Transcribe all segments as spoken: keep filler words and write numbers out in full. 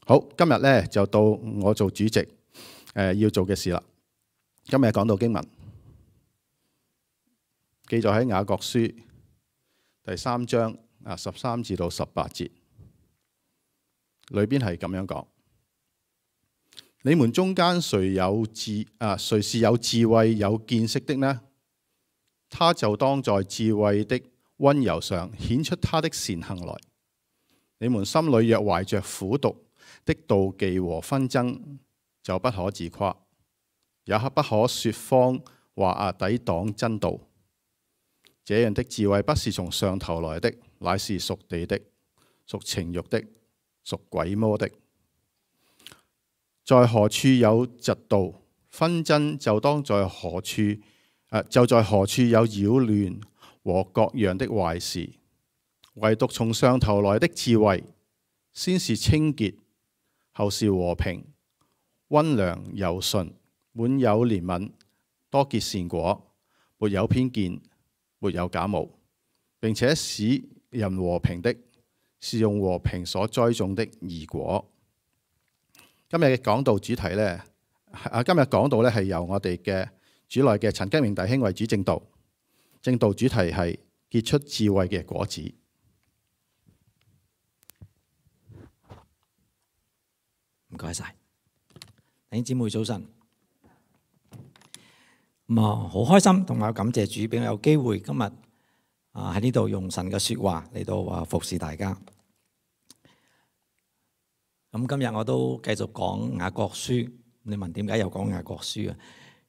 好，今日咧就到我做主席，誒、呃、要做嘅事啦。今日講到經文，記載喺雅各書第三章啊十三至到十八節，裏邊係咁樣講：你們中間誰有智啊？誰是有智慧有見識的呢？他就當在智慧的溫柔上顯出他的善行來。你們心裏若懷着苦毒的妒忌和紛爭，就不可自誇，也不可說謊話啊，抵擋真道。這樣的智慧不是從上頭來的，乃是屬地的，屬情慾的，屬鬼魔的。在何處有嫉妒紛爭，就當在何處、呃、就在何處有擾亂和各樣的壞事。唯獨從上頭來的智慧，先是清潔，後是和平、溫良、柔順，滿有憐憫，多結善果，沒有偏見，沒有假冒，並且使人和平的，是用和平所栽種的義果。今日嘅講道主題呢，啊，今日講道呢係由我哋嘅主內嘅陳吉明弟兄為主證道，證道主題係結出智慧嘅果子。唔該晒，弟兄姊妹早晨。咁啊，好開心同埋感謝主俾我有機會今日啊喺呢度用神嘅說話嚟到話服侍大家。咁今日我都繼續講雅各書。你問點解又講雅各書啊？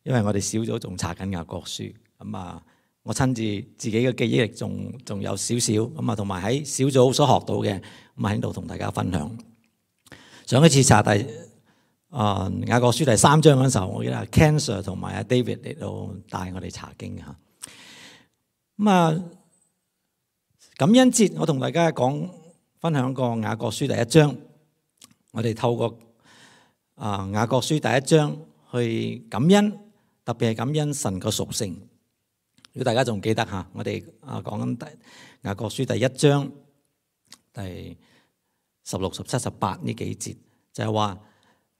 因為我哋小組仲查緊雅各書。咁啊，我親自自己嘅記憶力仲仲有少少。咁啊，同埋喺小組所學到嘅，咁啊喺度同大家分享。上一次查第啊雅各書第三章嗰陣時候，我記得係 Ken Sir 同埋阿 David 嚟到帶我哋查經嚇。咁啊，感恩節我同大家講分享過雅各書第一章，我哋透過啊雅各書第一章去感恩，特別係感恩神個屬性。如果大家仲記得嚇，我哋啊講緊第雅各書第一章第十六、十七、十八呢幾節，就係話：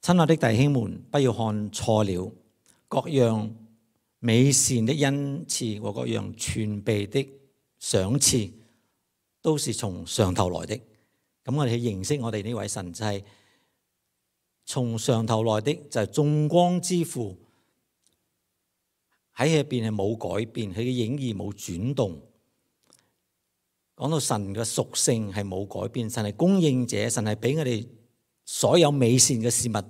親愛的弟兄們，不要看錯了，各樣美善的恩賜和各樣全備的賞賜，都是從上頭來的。咁我哋去認識我哋呢位神，就係從上頭來的，就係眾光之父，喺佢入邊係冇改變，佢嘅影兒冇轉動。講到神嘅屬性係冇改變，神係供應者，神係俾我哋所有美善嘅事物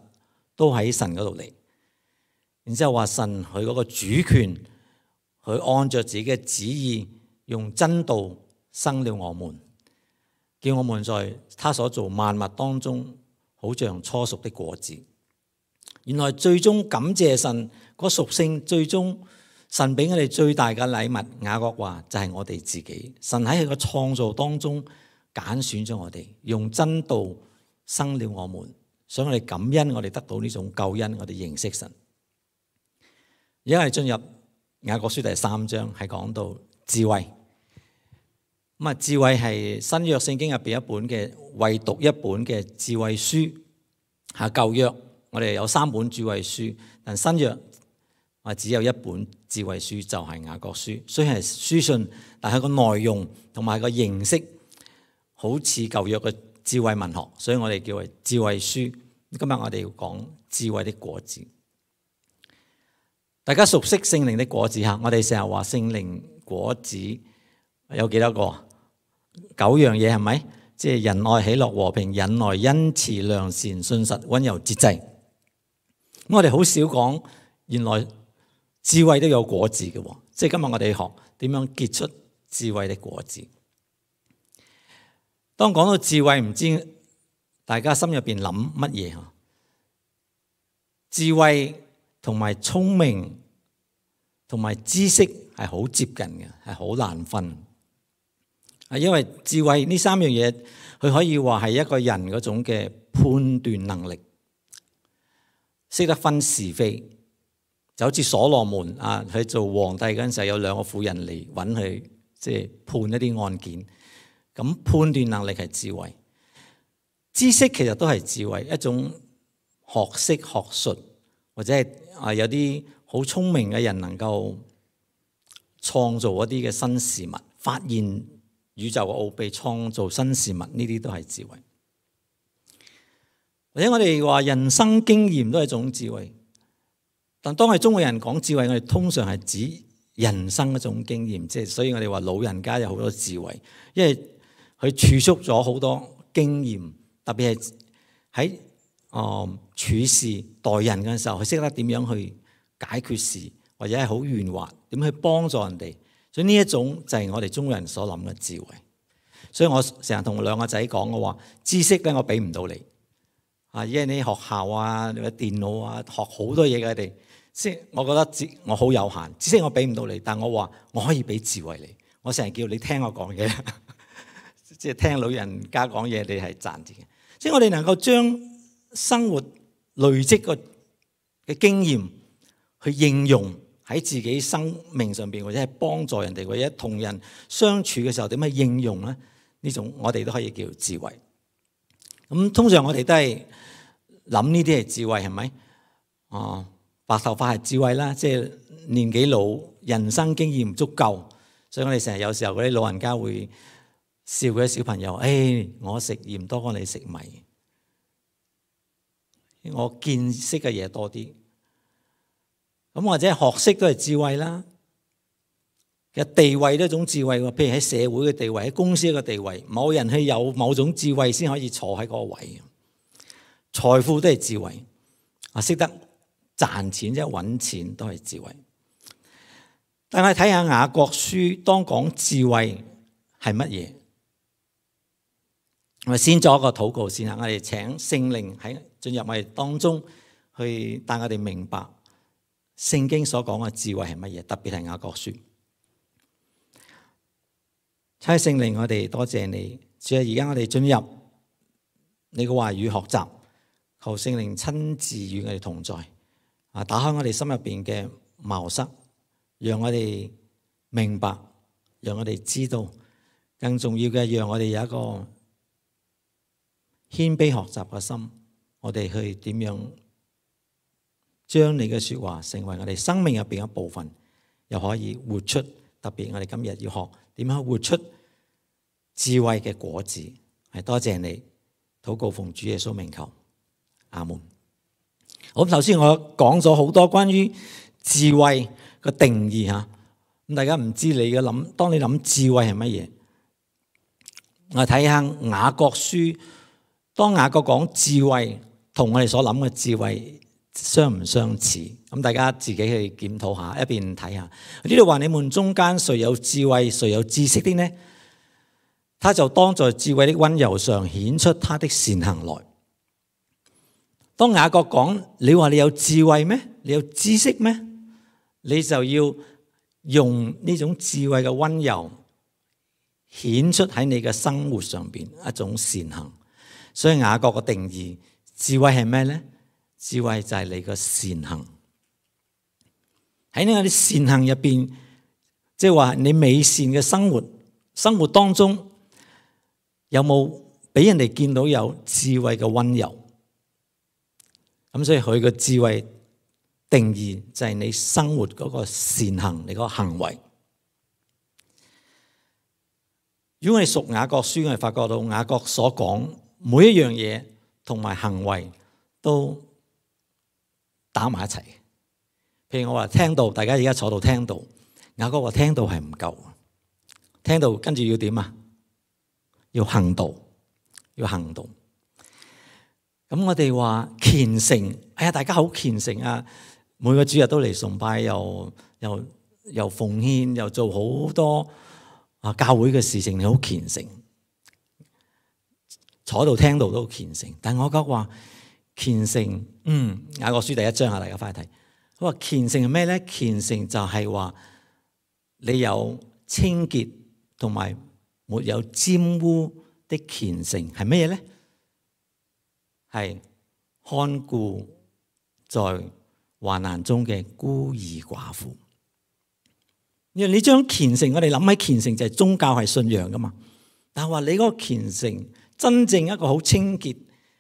都喺神嗰度嚟。然之後話神佢嗰個主權，佢按着自己嘅旨意，用真道生了我們，叫我們在他所造萬物當中，好像初熟的果子。原來最終感謝神嗰屬性，最終神俾我哋最大嘅禮物，雅各話就係我哋自己。神喺佢個創造當中揀選咗我哋，用真道生了我們，想我哋感恩，我哋得到呢種救恩，我哋認識神。而家係進入雅各書第三章，係講到智慧。咁啊，智慧係新約聖經入邊一本嘅唯獨一本嘅智慧書。嚇，舊約我哋有三本智慧書，但新約我只有一本智慧書，就係雅各書。雖然係書信，但係個內容同埋個形式好似舊約嘅智慧文學，所以我哋叫為智慧書。今日我哋要講智慧的果子。大家熟悉聖靈的果子嚇，我哋成日話聖靈果子有幾多個？九樣嘢係咪？即係仁愛、喜樂、和平、忍耐、恩慈、良善、信實、溫柔、節制。咁我哋好少講，原來智慧都有果子嘅，即係今日我哋學點樣結出智慧的果子。當講到智慧，唔知大家心入邊諗乜嘢嚇？智慧同埋聰明同埋知識係好接近嘅，係好難分。啊，因為智慧呢三樣嘢，佢可以話係一個人嗰種嘅判斷能力，識得分是非。就好似所羅門啊，佢做皇帝嗰陣時候，有兩個婦人嚟揾佢，即係判一啲案件。咁判斷能力係智慧。知識其實都係智慧，一種學識學術，或者係啊有啲好聰明嘅人能夠創造一啲嘅新事物，發現宇宙嘅奧秘，創造新事物，呢啲都係智慧。或者我哋話人生經驗都係一種智慧，但當係中國人講智慧，我哋通常係指人生一種經驗，即係所以我哋話老人家有好多智慧，因為佢儲蓄咗好多經驗，特別係喺誒處事待人嘅時候，佢識得點樣去解決事，或者係好圓滑，點去幫助人哋。所以呢一種就係我哋中國人所諗嘅智慧。所以我成日同兩個仔講，我話知識咧我俾唔到你。啊！因為你學校啊，你話電腦啊，學好多嘢嘅，你即係我覺得知我好有限，知識我俾唔到你，但我話我可以俾智慧你。我成日叫你聽我講嘢，即係聽老人家講嘢，你係賺錢嘅。即係我哋能夠將生活累積個嘅經驗去應用喺自己生命上邊，或者係幫助人哋，或者同人相處嘅時候點樣應用咧？呢種我哋都可以叫智慧。咁通常我哋都係諗呢啲係智慧，係咪？哦，白頭髮係智慧啦，即係年紀老，人生經驗唔足夠，所以我哋成日有時候嗰啲老人家會笑嗰啲小朋友，誒、哎，我食鹽多過你食米，我見識嘅嘢多啲。咁或者學識都係智慧啦，其實地位都係一種智慧喎。譬如喺社會嘅地位，喺公司嘅地位，某人係有某種智慧先可以坐喺嗰個位。財富都係智慧，啊，識得賺錢即係揾錢都係智慧。但係睇下雅各書，當講智慧係乜嘢？我哋先做一個禱告先啦。我哋請聖靈喺進入我哋當中，去帶我哋明白聖經所講嘅智慧係乜嘢，特別係雅各書。差聖靈，我哋多謝你。主啊，而家我哋進入你嘅話語學習，求聖靈親自與我哋同在，啊，打開我哋心入邊嘅茅塞，讓我哋明白，讓我哋知道，更重要嘅，讓我哋有一個謙卑學習嘅心，我哋去點樣將你嘅說話成為我哋生命入邊一部分，又可以活出。特別我哋今日要學點樣活出智慧嘅果子，係多謝你。禱告奉主耶穌名求，阿門。好，首先我講咗好多關於智慧嘅定義吓，咁大家唔知你嘅諗，當你諗智慧係乜嘢？我睇下雅各書，當雅各講智慧，同我哋所諗嘅智慧相唔相似？咁大家自己去檢討下，一邊睇下。呢度話你們中間誰有智慧，誰有知識的呢？他就當在智慧的溫柔上顯出他的善行來。當雅各講，你話你有智慧咩？你有知識咩？你就要用呢種智慧嘅溫柔顯出喺你嘅生活上邊一種善行。所以雅各嘅定義，智慧係咩呢？智慧就係你嘅善行。喺呢啲善行入邊，即係話你美善嘅生活，生活當中有冇俾人哋見到有智慧嘅溫柔？咁所以佢嘅智慧定義就係你生活嗰個善行，你嗰個行為。如果我哋熟雅各書，我哋發覺到雅各所講每一樣嘢同埋行為都打埋一齊。譬如我話聽道，大家而家坐到聽道，雅各話聽道係唔夠，聽道跟住要點啊？要行道，要行道。咁我哋話虔誠，哎呀，大家好虔誠啊！每個主日都嚟崇拜，又又又奉獻，又做好多啊教會嘅事情，你好虔誠。坐到聽道都好虔誠，但我覺得話虔誠，嗯，雅各書第一章啊，大家翻去睇。佢話虔誠係咩咧？虔誠就係話你有清潔同埋沒有沾污的虔誠係咩嘢咧？係看顧在患難中嘅孤兒寡婦。因為你將虔誠，我哋諗起虔誠就係宗教係信仰噶嘛。但係話你嗰個虔誠真正一個好清潔、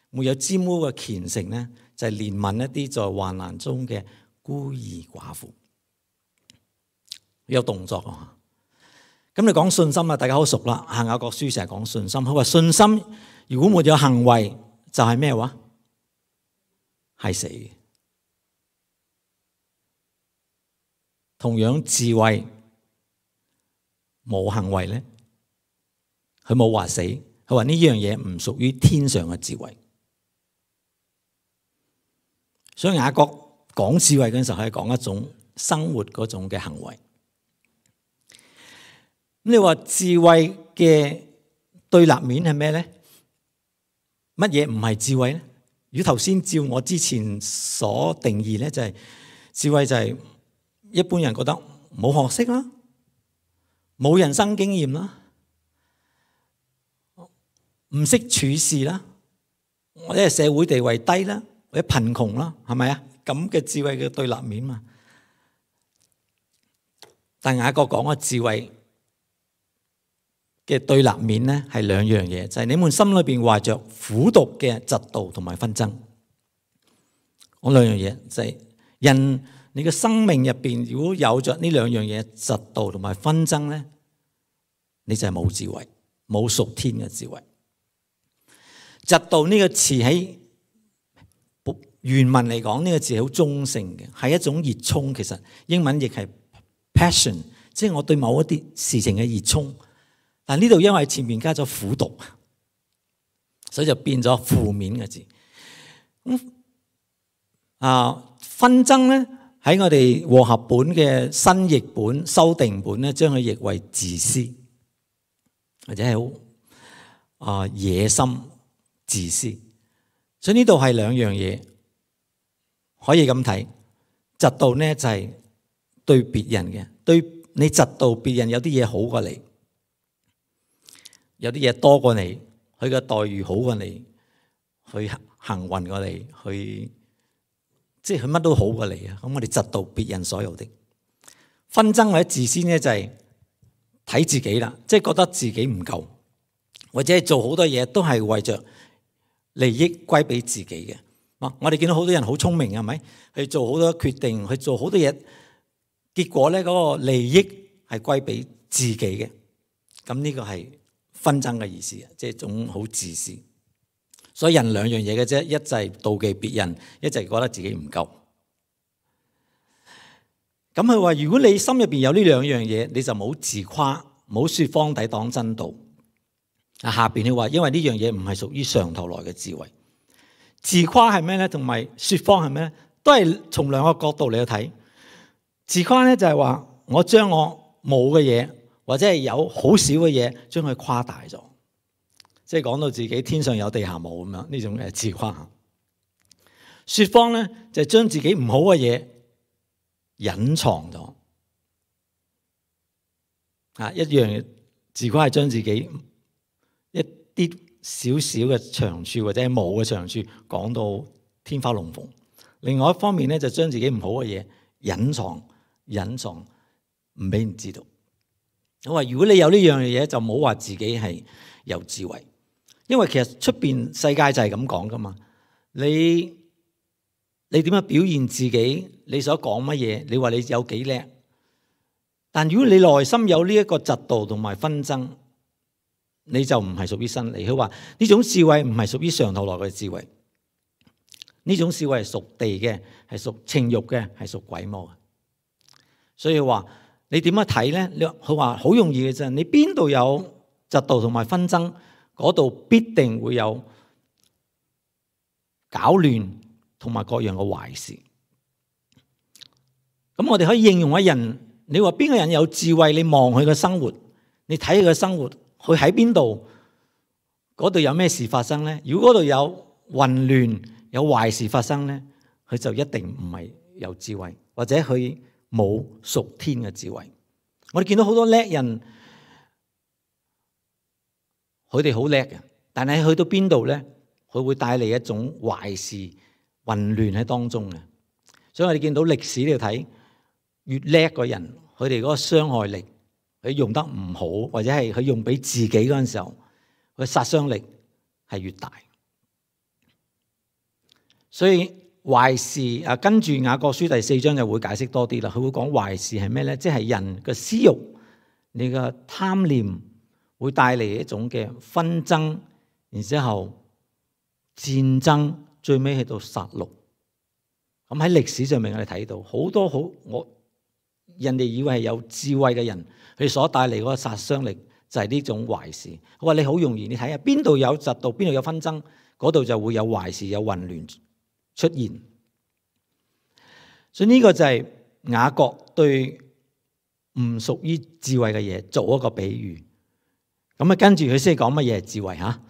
沒有沾污嘅虔誠咧，就係憐憫一啲在患難中嘅孤兒寡婦。有動作啊！咁你講信心啊，大家好熟啦。雅各書成日講信心，佢話信心如果沒有行為，就係咩話？係死嘅。同樣智慧冇行為咧，佢冇話死，佢話呢樣嘢唔屬於天上嘅智慧。所以雅各講智慧嗰陣時候係講一種生活嗰種嘅行為。咁你話智慧嘅對立面係咩咧？乜嘢唔係智慧咧？如果頭先照我之前所定義咧，就係智慧就係一般人覺得冇學識啦，冇人生經驗啦，唔識處事啦，或者係社會地位低啦，或者貧窮啦，係咪啊？咁嘅智慧嘅對立面嘛。但雅各講嘅智慧嘅對立面咧係兩樣嘢，就係你們心裏邊懷着苦毒嘅嫉妒同埋紛爭。嗰兩樣嘢就係人你嘅生命入邊，如果有着呢兩樣嘢嫉妒同埋紛爭咧，你就係冇智慧，冇屬天嘅智慧。嫉妒呢個詞喺原文嚟講，呢個字係好中性嘅，係一種熱衷。其實英文亦係 passion， 即係我對某一啲事情嘅熱衷。但呢度因為前面加咗苦毒，所以就變咗負面嘅字。咁啊，紛爭咧喺我哋和合本嘅新譯本修訂本咧，將佢譯為自私，或者係好啊野心自私。所以呢度係兩樣嘢可以咁睇。嫉妒咧就係對別人嘅，對你嫉妒別人有啲嘢好過你。有啲嘢多過你，佢嘅待遇好過你，去幸運過你，去即係佢乜都好過你啊！咁我哋嫉妒別人所有的紛爭或者自私咧，就係睇自己啦，即係覺得自己唔夠，或者係做好多嘢都係為着利益歸俾自己嘅。啊，我哋見到好多人好聰明，係咪？去做好多決定，去做好多嘢，結果咧嗰個利益係歸俾自己嘅。咁呢個係紛爭嘅意思，即係一種好自私。所以人兩樣嘢嘅啫，一就係妒忌別人，一就係覺得自己唔夠。咁佢話：如果你心入邊有呢兩樣嘢，你就冇自誇，冇説謊抵擋真道。啊，下邊佢話：因為呢樣嘢唔係屬於上頭來嘅智慧。自誇係咩咧？同埋説謊係咩咧？都係從兩個角度嚟去睇。自誇咧就係話我將我冇嘅嘢，或者係有好少嘅嘢，將佢誇大咗，即係講到自己天上有地下冇咁樣，呢種係自誇。説謊咧就係將自己唔好嘅嘢隱藏咗。啊，一樣自誇係將自己一啲少少嘅長處或者係冇嘅長處講到天花龍鳳。另外一方面咧就將自己唔好嘅嘢隱藏，隱藏唔俾人知道。我話如果你有呢樣嘢，就冇話自己係有智慧，因為其實出邊世界就係咁講噶嘛。你你點樣表現自己？你所講乜嘢？你話你有幾叻？但如果你內心有呢一個嫉妒同埋紛爭，你就唔係屬於真理。佢話呢種智慧唔係屬於上頭來嘅智慧，呢種智慧係屬地嘅，係屬情慾嘅，係屬鬼魔嘅。所以話你點樣睇咧？佢話好容易嘅啫，你邊度有嫉妒同埋紛爭，嗰度必定會有搞亂同埋各樣嘅壞事。咁我哋可以應用一人。你話邊個人有智慧？你望佢嘅生活，你睇佢嘅生活，佢喺邊度？嗰度有咩事發生咧？如果嗰度有混亂、有壞事發生咧，佢就一定唔係有智慧，或者佢冇屬天嘅智慧。我哋見到好多叻人，佢哋好叻嘅，但係去到邊度咧，佢會帶嚟一種壞事、混亂喺當中嘅。所以我哋見到歷史呢度睇。越叻嘅人，佢哋嗰個傷害力，佢用得唔好，或者係佢用俾自己嗰陣時候，佢殺傷力係越大。所以壞事啊，跟住雅各書第四章就會解釋多啲啦。佢會講壞事係咩咧？即係人嘅私欲，你嘅貪念會帶嚟一種嘅紛爭，然之後戰爭，最尾去到殺戮。咁喺歷史上面我哋睇到好多好我人哋以為係有智慧嘅人，佢所帶嚟嗰個殺傷力就係呢種壞事。佢話你好容易，你睇下邊度有嫉妒，邊度有紛爭，嗰度就會有壞事，有混亂出現。所以呢個就係雅各對唔屬於智慧嘅嘢做一個比喻。咁啊，跟住佢先講乜嘢係智慧吓？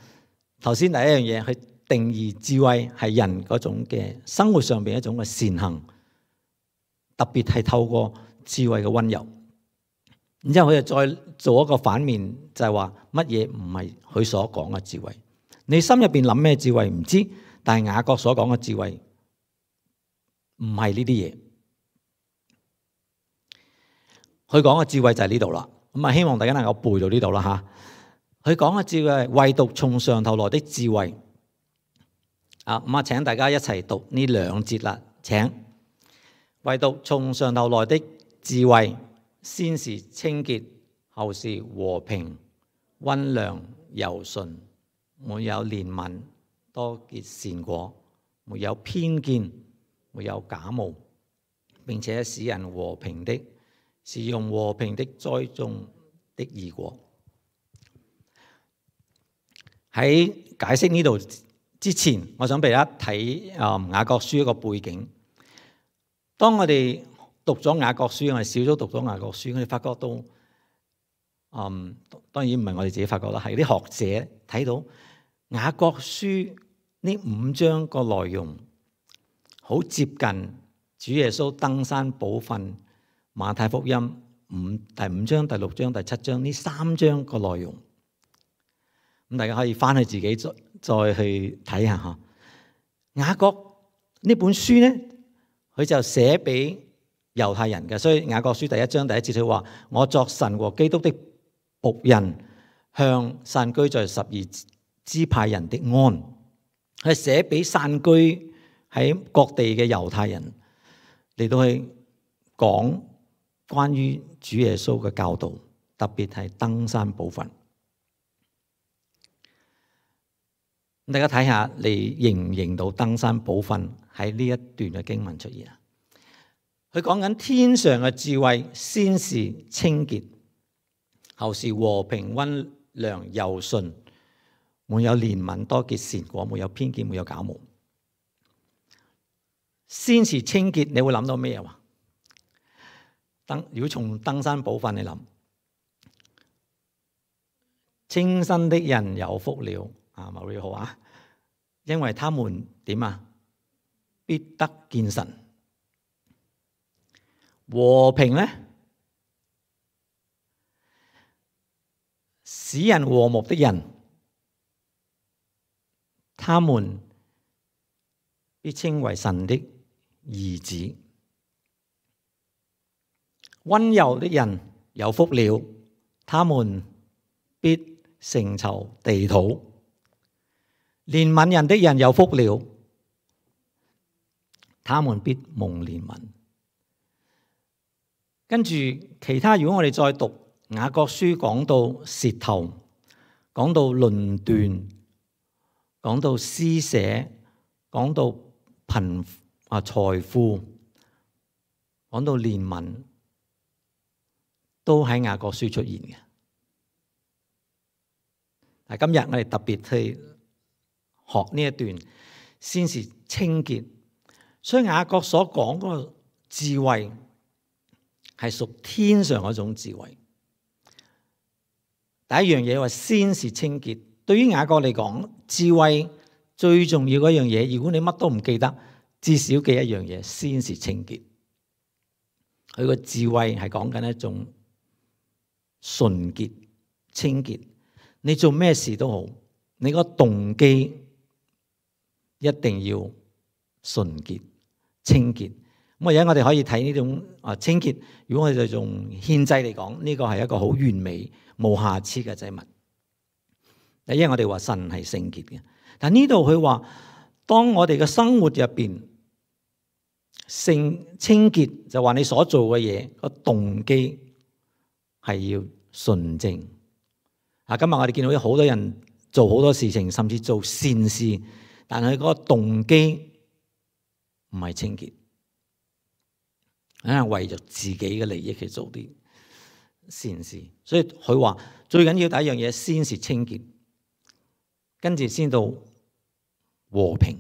頭先第一樣嘢，佢定義智慧係人嗰種嘅生活上邊一種嘅善行，特別係透過智慧嘅溫柔。然之後佢就再做一個反面，就係話乜嘢唔係佢所講嘅智慧。你心入邊諗咩智慧唔知，但係雅各所講嘅智慧唔係呢啲嘢。佢講嘅智慧就係呢度啦。咁啊，希望大家能夠背到呢度啦吓。佢講嘅智慧係唯獨從上頭來的智慧。啊，咁啊，請大家一齊讀呢兩節啦。請，唯獨從上頭來的智慧，先是清潔，後是和平、溫良、柔順，沒有憐憫，多結善果，沒有偏見，沒有假冒，並且使人和平的，是用和平的栽種的義果。喺解釋呢度之前，我想俾大家睇誒雅各書一個背景。當我哋讀咗雅各書，我哋少咗讀咗雅各書，我哋發覺到，嗯，當然唔係我哋自己發覺啦，係啲學者睇到雅各書呢五章個內容好接近主耶穌登山寶訓馬太福音五第五章、第六章、第七章呢三章個內容。咁大家可以翻去自己再再去睇下嚇。雅各呢本書咧，佢就寫俾猶太人嘅，所以雅各書第一章第一節佢話：我作神和基督的僕人，向散居在十二支派人的安。佢寫俾散居喺各地嘅猶太人嚟到去講關於主耶穌嘅教導，特別係登山寶訓。大家睇下，你認唔認到登山寶訓喺呢一段嘅經文出現啊？佢講緊天上嘅智慧，先是清潔，後是和平、溫良、柔順，沒有憐憫，多結善果，沒有偏見，沒有假冒。先是清潔，你會諗到咩啊？登如果從登山寶訓你諗，清心的人有福了。啊，馬瑞好啊，因為他們點啊，必得見神。和平呢，使人和睦的人，他們必稱為神的兒子。溫柔的人有福了，他們必承受地土。憐憫人的人有福了，他們必蒙憐憫。跟住其他，如果我哋再讀雅各書，講到舌頭，講到論斷，講到施捨，講到貧啊財富，講到憐憫，都喺雅各書出現嘅。但今日我哋特別去學呢一段，先是清潔。所以雅各所講嗰個智慧係屬天上嗰種智慧。第一樣嘢話先是清潔。對於雅各嚟講，智慧最重要嗰樣嘢，如果你乜都唔記得，至少記一樣嘢，先是清潔。佢個智慧係講緊一種純潔、清潔。你做咩事都好，你個動機一定要純潔、清潔。咁而家我哋可以睇呢種啊清潔。如果我哋用獻祭嚟講，呢個係一個好完美、冇瑕疵嘅祭物。因為我哋話神係聖潔嘅，但呢度佢話，當我哋嘅生活入邊聖清潔，就話你所做嘅嘢個動機係要純正。啊，今日我哋見到有好多人做好多事情，甚至做善事，但係嗰個動機唔係清潔，係為咗自己嘅利益去做啲善事。所以佢話最緊要第一樣嘢先是清潔，跟住先到和平。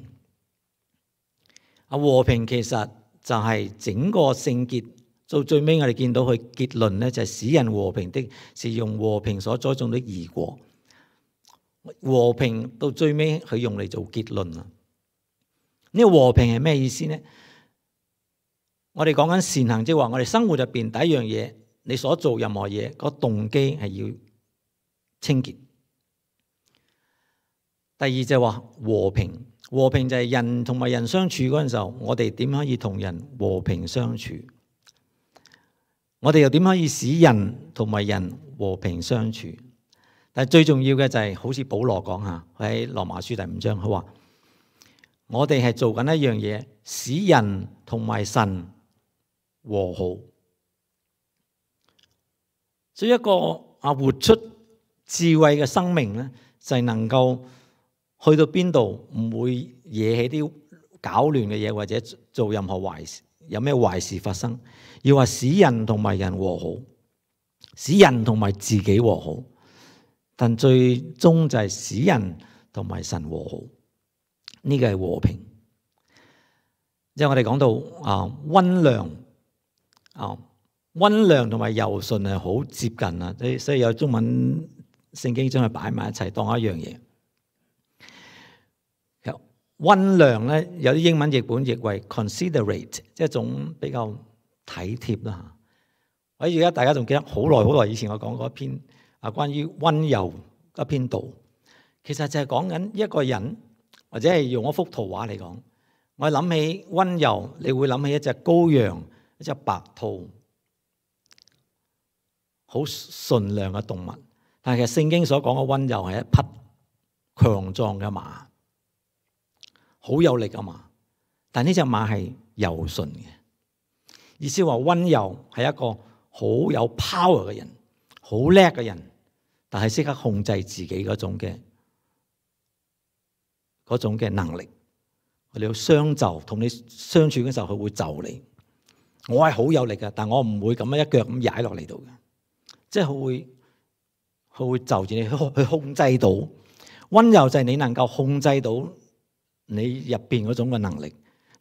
啊，和平其實就係整個聖潔，到最尾我哋見到佢結論咧，就係使人和平的，是用和平所栽種的義果。和平到最尾佢用嚟做結論啊！呢個和平係咩意思呢？我哋講緊善行，即係話我哋生活入邊第一樣嘢，你所做任何嘢個動機係要清潔。第二就係話和平，和平就係人同埋人相處嗰陣時候，我哋點可以同人和平相處？我哋又點可以使人同埋人和平相處？但係最重要嘅就係、是、好似保羅講下喺羅馬書第五章，佢話我哋係做緊一樣嘢，使人同埋神和好。所以一個啊活出智慧嘅生命咧，就係、是、能夠去到邊度唔會惹起啲搞亂嘅嘢，或者做任何壞事，有咩壞事發生，要話使人同埋人和好，使人同埋自己和好。但最終就係使人同埋神和好，呢個係和平。即係我哋講到啊溫良啊溫良同埋柔順係好接近啊，所以所以有中文聖經將佢擺埋一齊當一樣嘢。溫良咧有啲英文譯本譯為 considerate， 即係一種比較體貼啦。我而家大家仲記得好耐好耐以前我講過一篇。啊，關於溫柔一篇道，其實就係講緊一個人，或者係用一幅圖畫嚟講，我諗起溫柔，你會諗起一隻羔羊，一隻白兔，好純良嘅動物。但係其實聖經所講嘅溫柔係一匹強壯嘅馬，好有力嘅馬。但呢隻馬係柔順嘅，意思話溫柔係一個好有 power 嘅人，好叻嘅人。但係識得控制自己嗰種嘅嗰種嘅能力，我哋要相就，同你相處嘅時候，佢會就你。我係好有力嘅，但我唔會咁樣一腳咁踩落嚟度嘅，即係佢會佢會就住你去去控制到。溫柔就係你能夠控制到你入邊嗰種嘅能力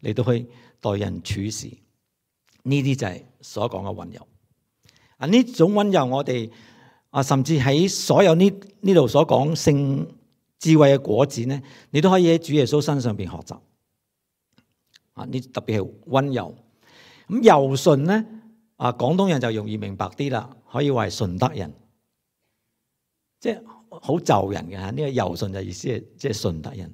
嚟到去待人處事，呢啲就係所講嘅溫柔。啊，呢種溫柔我哋。啊，甚至喺所有呢呢度所講聖智慧嘅果子咧，你都可以喺主耶穌身上邊學習。啊，呢特別係溫柔。咁柔順咧，啊廣東人就容易明白啲啦，可以話係順德人，即係好就人嘅嚇。呢個柔順就意思係即係順德人。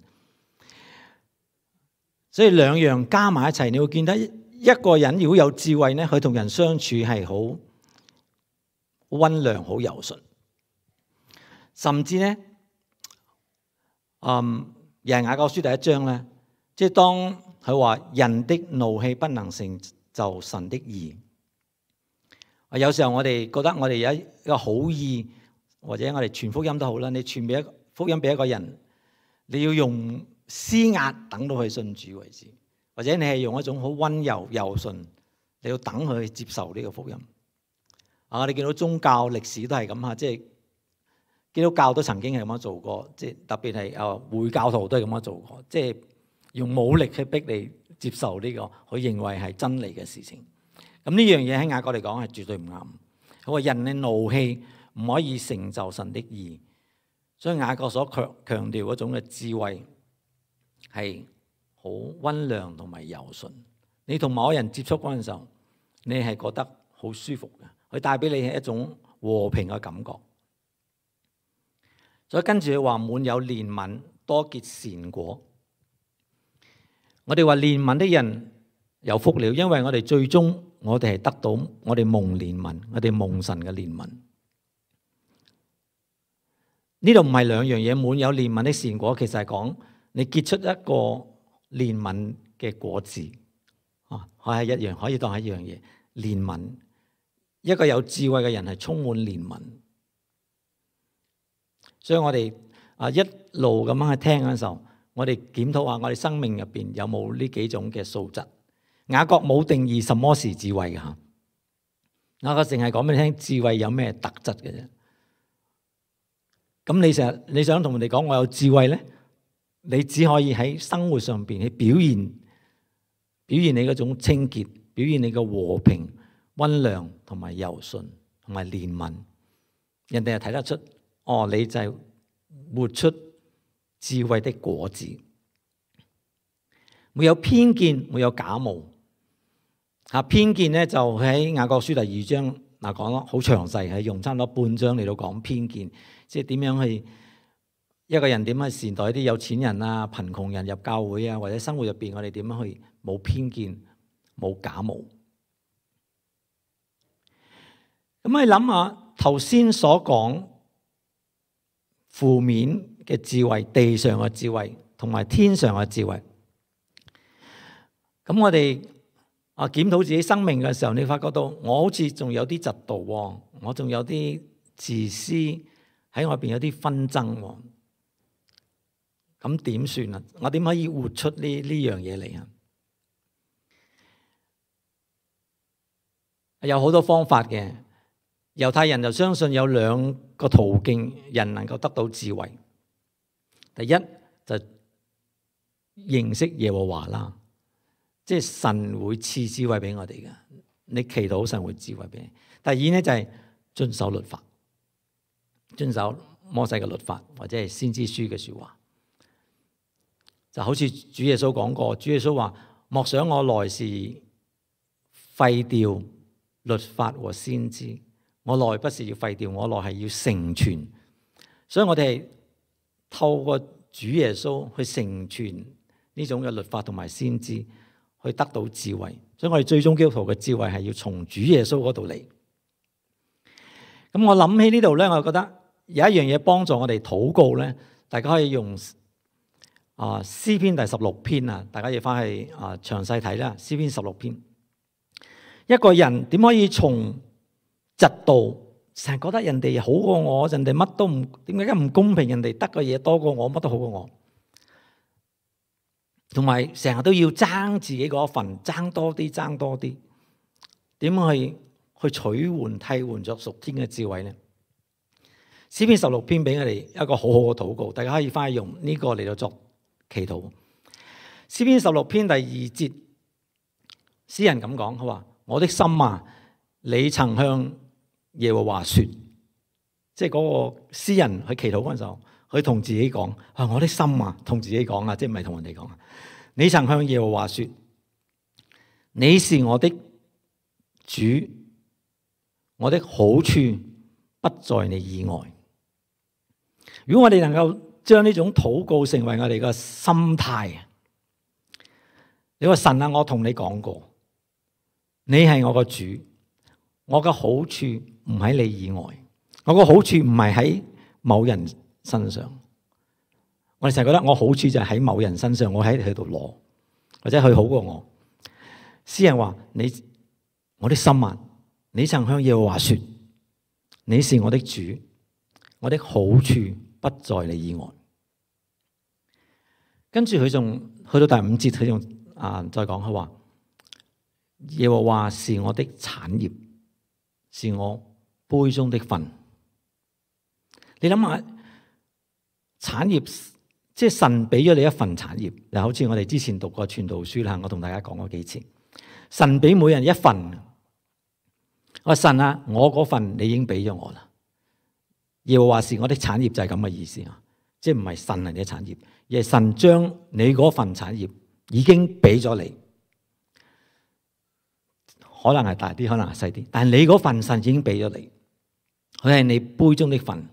所以兩樣加埋一齊，你會見得一個人如果有智慧咧，佢同人相處係好溫良好柔順，甚至咧，嗯，又係雅各書第一章咧，即係當佢話人的怒氣不能成就神的義。啊，有時候我哋覺得我哋有一個好意，或者我哋傳福音都好啦，你傳俾一個福音俾一個人，你要用施壓等到佢信主為止，或者你係用一種好溫柔柔順，你要等佢接受呢個福音。啊！我哋見到宗教歷史都係咁嚇，即係基督教都曾經係咁樣做過，即係特別係啊會教徒都係咁樣做過，即係用武力去逼你接受呢個佢認為係真理嘅事情。咁呢樣嘢喺雅各嚟講係絕對唔啱。佢話人嘅怒氣唔可以成就神的義，所以雅各所強強調嗰種嘅智慧係好溫良同埋柔順。你同某人接觸嗰陣時候，你係覺得好舒服嘅。佢帶俾你係一種和平嘅感覺，所以跟住佢話滿有憐憫，多結善果。我哋話憐憫的人有福了，因為我哋最終我哋係得到我哋蒙憐憫，我哋蒙神嘅憐憫。呢度唔係兩樣嘢，滿有憐憫的善果，其實係講你結出一個憐憫嘅果子啊，係一樣，可以當係一樣嘢。憐憫，一個有智慧嘅人係充滿憐憫，所以我哋啊一路咁樣去聽嘅時候，我哋檢討下我哋生命入邊有冇呢幾種嘅素質。雅各冇定義什麼是智慧嘅嚇，雅各淨係講俾你聽智慧有咩特質嘅啫。咁你成日你想同人哋講我有智慧咧，你只可以喺生活上邊去表現表現你嗰種清潔，表現你嘅和平、溫良同埋柔順同埋憐憫，人哋係睇得出，哦，你就係活出智慧的果子，沒有偏見，沒有假冒。嚇，偏見咧就喺雅各書第二章嗱講咯，好詳細，係用差唔多半章嚟到講偏見，即係點樣去一個人點樣去善待啲有錢人啊、貧窮人入教會啊，或者生活入邊我哋點樣去冇偏見、冇假冒。咁你諗下頭先所講負面嘅智慧、地上嘅智慧同埋天上嘅智慧，咁我哋啊檢討自己生命嘅時候，你發覺到我好似仲有啲嫉妒喎，我仲有啲自私喺我入邊，有啲紛爭喎，咁點算啊？我點可以活出呢呢樣嘢嚟啊？有好多方法嘅。猶太人就相信有兩個途徑，人能夠得到智慧。第一就認識耶和華啦，即係神會賜智慧俾我哋嘅。你祈禱神會智慧俾你。第二咧就係遵守律法，遵守摩西嘅律法或者係先知書嘅說話。就好似主耶穌講過，主耶穌話：莫想我來是廢掉律法和先知。我來不是要廢掉，我來係要成全，所以我哋係透過主耶穌去成全呢種嘅律法同埋先知，去得到智慧。所以我哋最終基督徒嘅智慧係要從主耶穌嗰度嚟。咁我諗起呢度咧，我覺得有一樣嘢幫助我哋禱告咧，大家可以用啊詩篇第十六篇啊，大家要翻去啊詳細睇啦。詩篇十六篇，一個人點可以從嫉妒，成日覺得人哋好過我，人哋乜都唔，點解咁唔公平？人哋得嘅嘢多過我，乜都好過我，同埋成日都要爭自己嗰份，爭多啲，爭多啲，點去去取換替換咗屬天嘅智慧呢？詩篇十六篇俾我哋一個好好嘅禱告，大家可以翻去用呢個嚟到作祈禱。詩篇十六篇第二節，詩人咁講，佢話：我的心啊，你曾向耶和華說，即係嗰個詩人去祈禱嗰陣時候，佢同自己講：啊，我的心啊，同自己講啊，即係唔係同人哋講啊？你曾向耶和華說，你是我的主，我的好處不在你以外。如果我哋能夠將呢種禱告成為我哋嘅心態，你話神啊，我同你講過，你係我個主。我嘅好處唔喺你以外，我個好處唔係喺某人身上。我哋成日覺得我好處就係喺某人身上，我喺佢度攞，或者佢好過我。詩人話：你我的心啊，你曾向耶和華說，你是我的主，我的好處不在你以外。跟住佢仲去到第五節，佢仲啊再講，佢話：耶和華是我的產業，是我杯中的分。你諗下，產業即係神俾咗你一份產業，就好似我哋之前讀過傳道書啦，我同大家講過幾次，神俾每人一份。我話神啊，我嗰份你已經俾咗我啦。耶和華是我的產業，就係咁嘅意思啊，即係唔係神係你嘅產業，而係神將你嗰份產業已經俾咗你。可能係大啲，可能係細啲，但係你嗰份神已經俾咗你，佢係你杯中的份。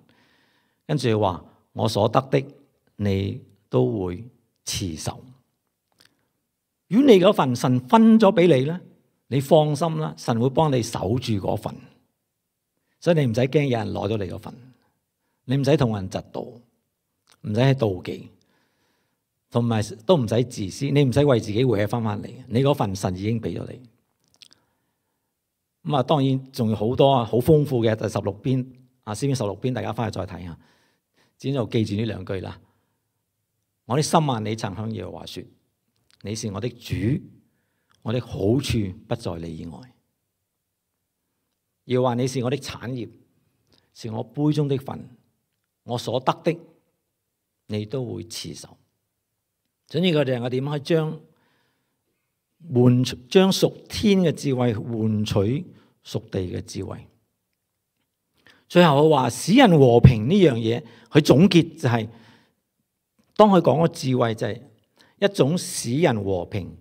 跟住話我所得的，你都會持守。如果你嗰份神分咗俾你咧，你放心啦，神會幫你守住嗰份，所以你唔使驚有人攞咗你嗰份。你唔使同人嫉妒，唔使去妒忌，同埋都唔使自私，你唔使為自己搲翻翻嚟，你嗰份神已經俾咗你。咁啊，當然仲有好多啊，好豐富嘅第十六篇啊，詩篇十六篇，大家翻去再睇下，只就記住呢兩句啦。我的心啊，你曾向耶和華說，你是我的主，我的好處不在你以外。耶和華你是我的產業，是我杯中的份，我所得的，你都會持守。總之，佢哋我點樣去將換將屬天嘅智慧換取屬地嘅智慧。最後佢話使人和平呢樣嘢，佢總結就係、是、當佢講個智慧就係一種使人和平，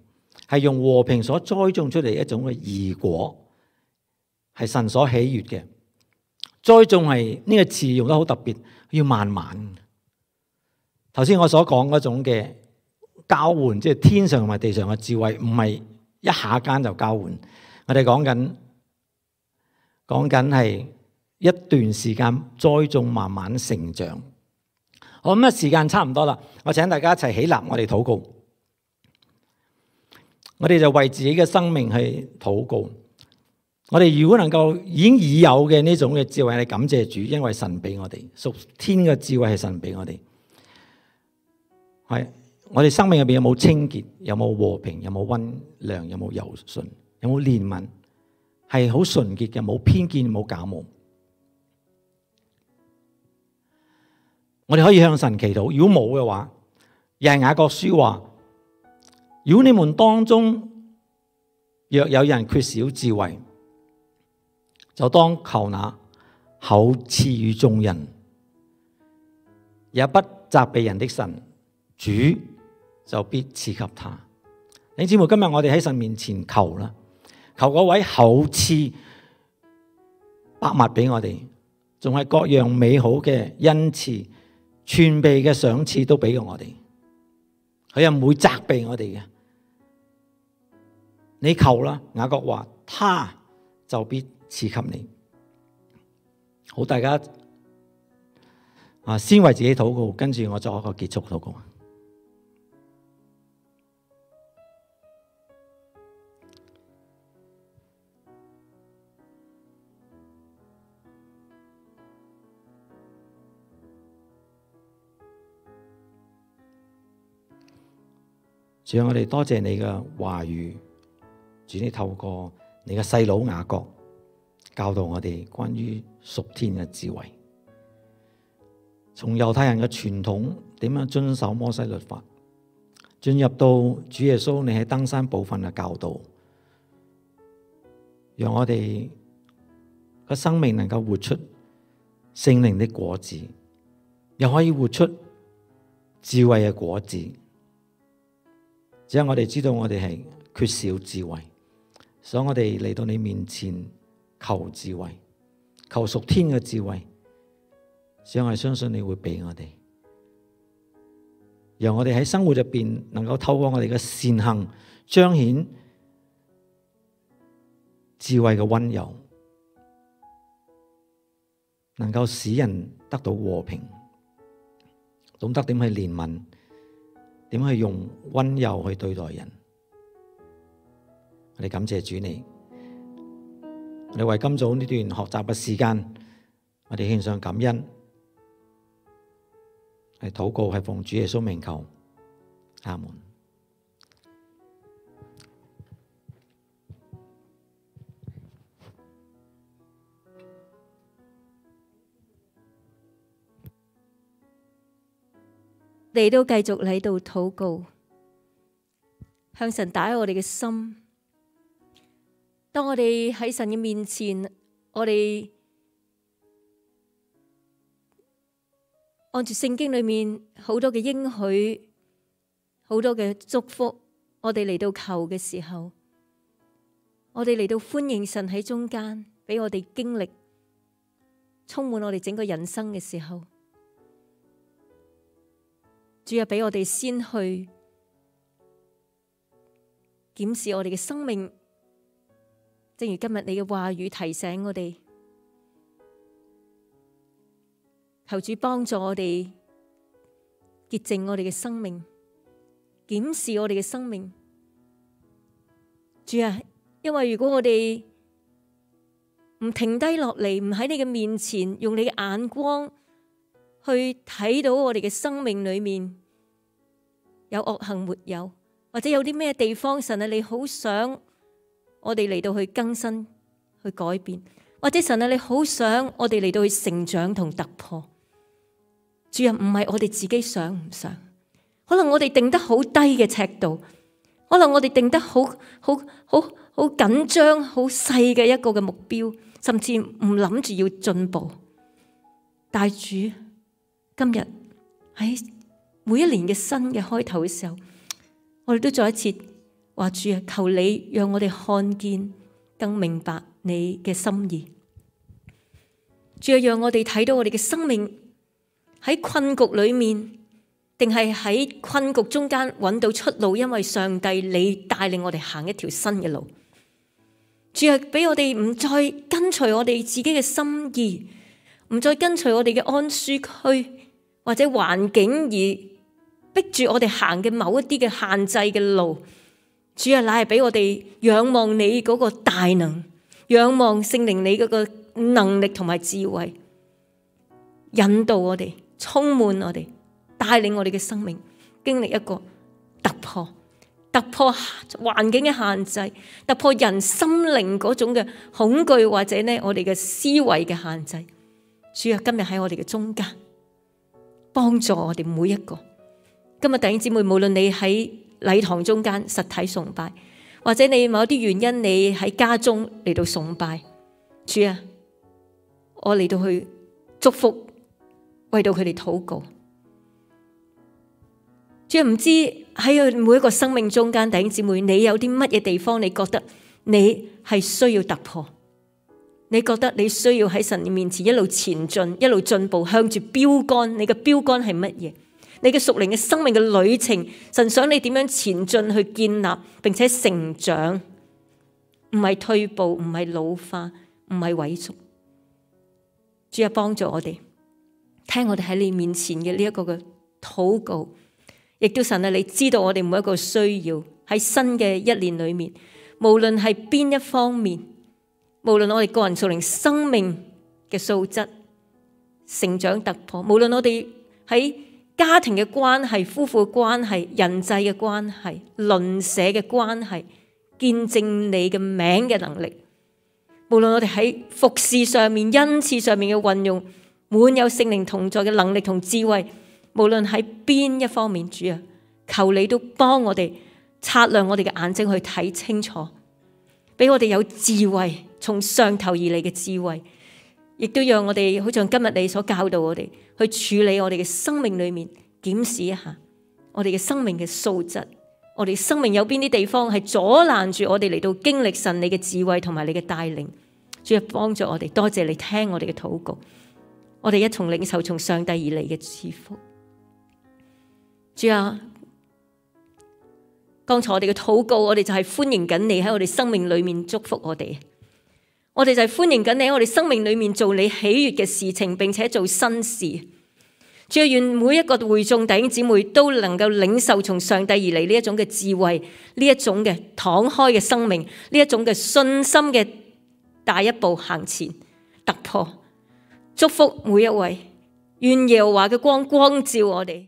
係用和平所栽種出嚟一種嘅義果，係神所喜悅嘅。栽種係呢個詞用得好特別，要慢慢。頭先我所講嗰種嘅交換，即係天上同埋地上嘅智慧，唔係一下間就交換。我哋講緊講緊係一段時間栽種，慢慢成長。好，咁啊，時間差唔多啦，我請大家一齊起立，我哋禱告。我哋就為自己嘅生命去禱告。我哋如果能夠已經已有嘅呢種嘅智慧，係感謝主，因為神俾我哋屬天嘅智慧係神俾我哋。係我哋生命入邊有冇清潔，有冇和平，有冇溫良，有冇柔順，有冇憐憫，係好純潔嘅，冇偏見，冇假冒。我哋可以向神祈禱。如果冇嘅話，又係雅各書話：如果你們當中若有人缺少智慧，就當求那厚賜予眾人，也不責備人的神，主就必賜給他。弟兄姊妹，今日我哋喺神面前求啦，求嗰位厚賜百物俾我哋，仲係各樣美好嘅恩賜、全備嘅賞賜都俾過我哋。佢又唔會責備我哋嘅。你求啦，雅各話，他就必賜給你。好，大家啊，先為自己禱告，跟住我作一個結束禱告。主啊，我哋多謝你嘅話語，主你透過你嘅細佬雅各教導我哋關於屬天嘅智慧，從猶太人嘅傳統點樣遵守摩西律法，進入到主耶穌你喺登山寶訓嘅教導，讓我哋嘅生命能夠活出聖靈的果子，又可以活出智慧嘅果子。只係我哋知道我哋係缺少智慧，所以我哋嚟到你面前求智慧，求屬天嘅智慧。只係我哋相信你會俾我哋，讓我哋喺生活入邊能夠透過我哋嘅善行彰顯智慧嘅溫柔，能夠使人得到和平，懂得點去憐憫，點去用溫柔去對待人。我哋感謝主你，我哋為今早呢段學習嘅時間，我哋獻上感恩，係禱告，係奉主耶穌名求，阿門。你都繼續喺度禱告，向神打開我哋嘅心。當我哋喺神嘅面前，我哋按住聖經裏面好多嘅應許，好多嘅祝福，我哋嚟到求嘅時候，我哋嚟到歡迎神喺中間，俾我哋經歷充滿我哋整個人生嘅時候，主啊，俾我哋先去檢視我哋嘅生命，正如今日你嘅話語提醒我哋，求主幫助我哋潔淨我哋嘅生命，檢視我哋嘅生命。主啊，因為如果我哋唔停低落嚟，唔喺你嘅面前，用你嘅眼光去睇到我哋嘅生命裏面有惡行沒有，或者有啲咩地方神啊，你好想我哋嚟到去更新、去改變，或者神啊，你好想我哋嚟到去成長同突破。主啊，唔係我哋自己想唔想，可能我哋定得好低嘅尺度，可能我哋定得好好好好緊張、好細嘅一個嘅目標，甚至唔諗住要進步。但主今日喺每一年嘅新嘅開頭嘅時候，我哋都再一次話主啊，求你讓我哋看見更明白你嘅心意。主啊，讓我哋睇到我哋嘅生命喺困局裏面，定係喺困局中間揾到出路，因為上帝你帶領我哋行一條新嘅路。主啊，俾我哋唔再跟隨我哋自己嘅心意，唔再跟隨我哋嘅安舒區或者環境而逼住我哋行嘅某一啲嘅限制嘅路。主啊，乃係俾我哋仰望你嗰個大能，仰望聖靈你嗰個能力同埋智慧，引導我哋，充滿我哋，帶領我哋嘅生命經歷一個突破，突破環境嘅限制，突破人心靈嗰種嘅恐懼，或者呢我哋嘅思維嘅限制。主啊，今日喺我哋嘅中間，幫助我哋每一個。今日弟兄姊妹，無論你喺禮堂中間實體崇拜，或者你某啲原因你喺家中嚟到崇拜，主啊，我嚟到去祝福，為到佢哋禱告。主啊，唔知喺每一個生命中間，弟兄姊妹，你有啲乜嘢地方你覺得你係需要突破？你覺得你需要喺神面前一路前進，一路進步，向住標杆。你嘅標杆係乜嘢？你嘅屬靈嘅生命嘅旅程，神想你點樣前進去建立，並且成長，唔係退步，唔係老化，唔係萎縮。主啊，幫助我哋聽我哋喺你面前嘅呢一個嘅禱告，亦都神啊，你知道我哋每一個需要喺新嘅一年裏面，無論係邊一方面，無論我哋個人屬靈生命嘅素質成長突破，無論我哋喺家庭嘅關係、夫婦嘅關係、人際嘅關係、鄰舍嘅關係，見證你嘅名嘅能力，無論我哋喺服事上面、恩賜上面嘅運用，滿有聖靈同在嘅能力同智慧，無論喺邊一方面，主啊，求你都幫我哋擦亮我哋嘅眼睛去睇清楚，俾我哋有智慧，從上頭而嚟嘅智慧，亦都讓我哋好像今日你所教導我哋去處理我哋嘅生命裏面，檢視一下我哋嘅生命嘅素質，我哋生命有邊啲地方係阻攔住我哋嚟到經歷神你嘅智慧同埋你嘅帶領。主啊，幫助我哋，多謝你聽我哋嘅禱告，我哋一同領受從上帝而嚟嘅賜福。主啊，剛才我哋嘅禱告，我哋就係歡迎緊你喺我哋生命裏面祝福我哋。我哋就係歡迎緊你喺我哋生命裏面做你喜悅嘅事情，並且做新事。主啊，願每一個會眾弟兄姊妹都能夠領受從上帝而嚟呢一種嘅智慧，呢一種嘅敞開嘅生命，呢一種嘅信心嘅大一步行前突破。祝福每一位，願耶和華嘅光光照我哋。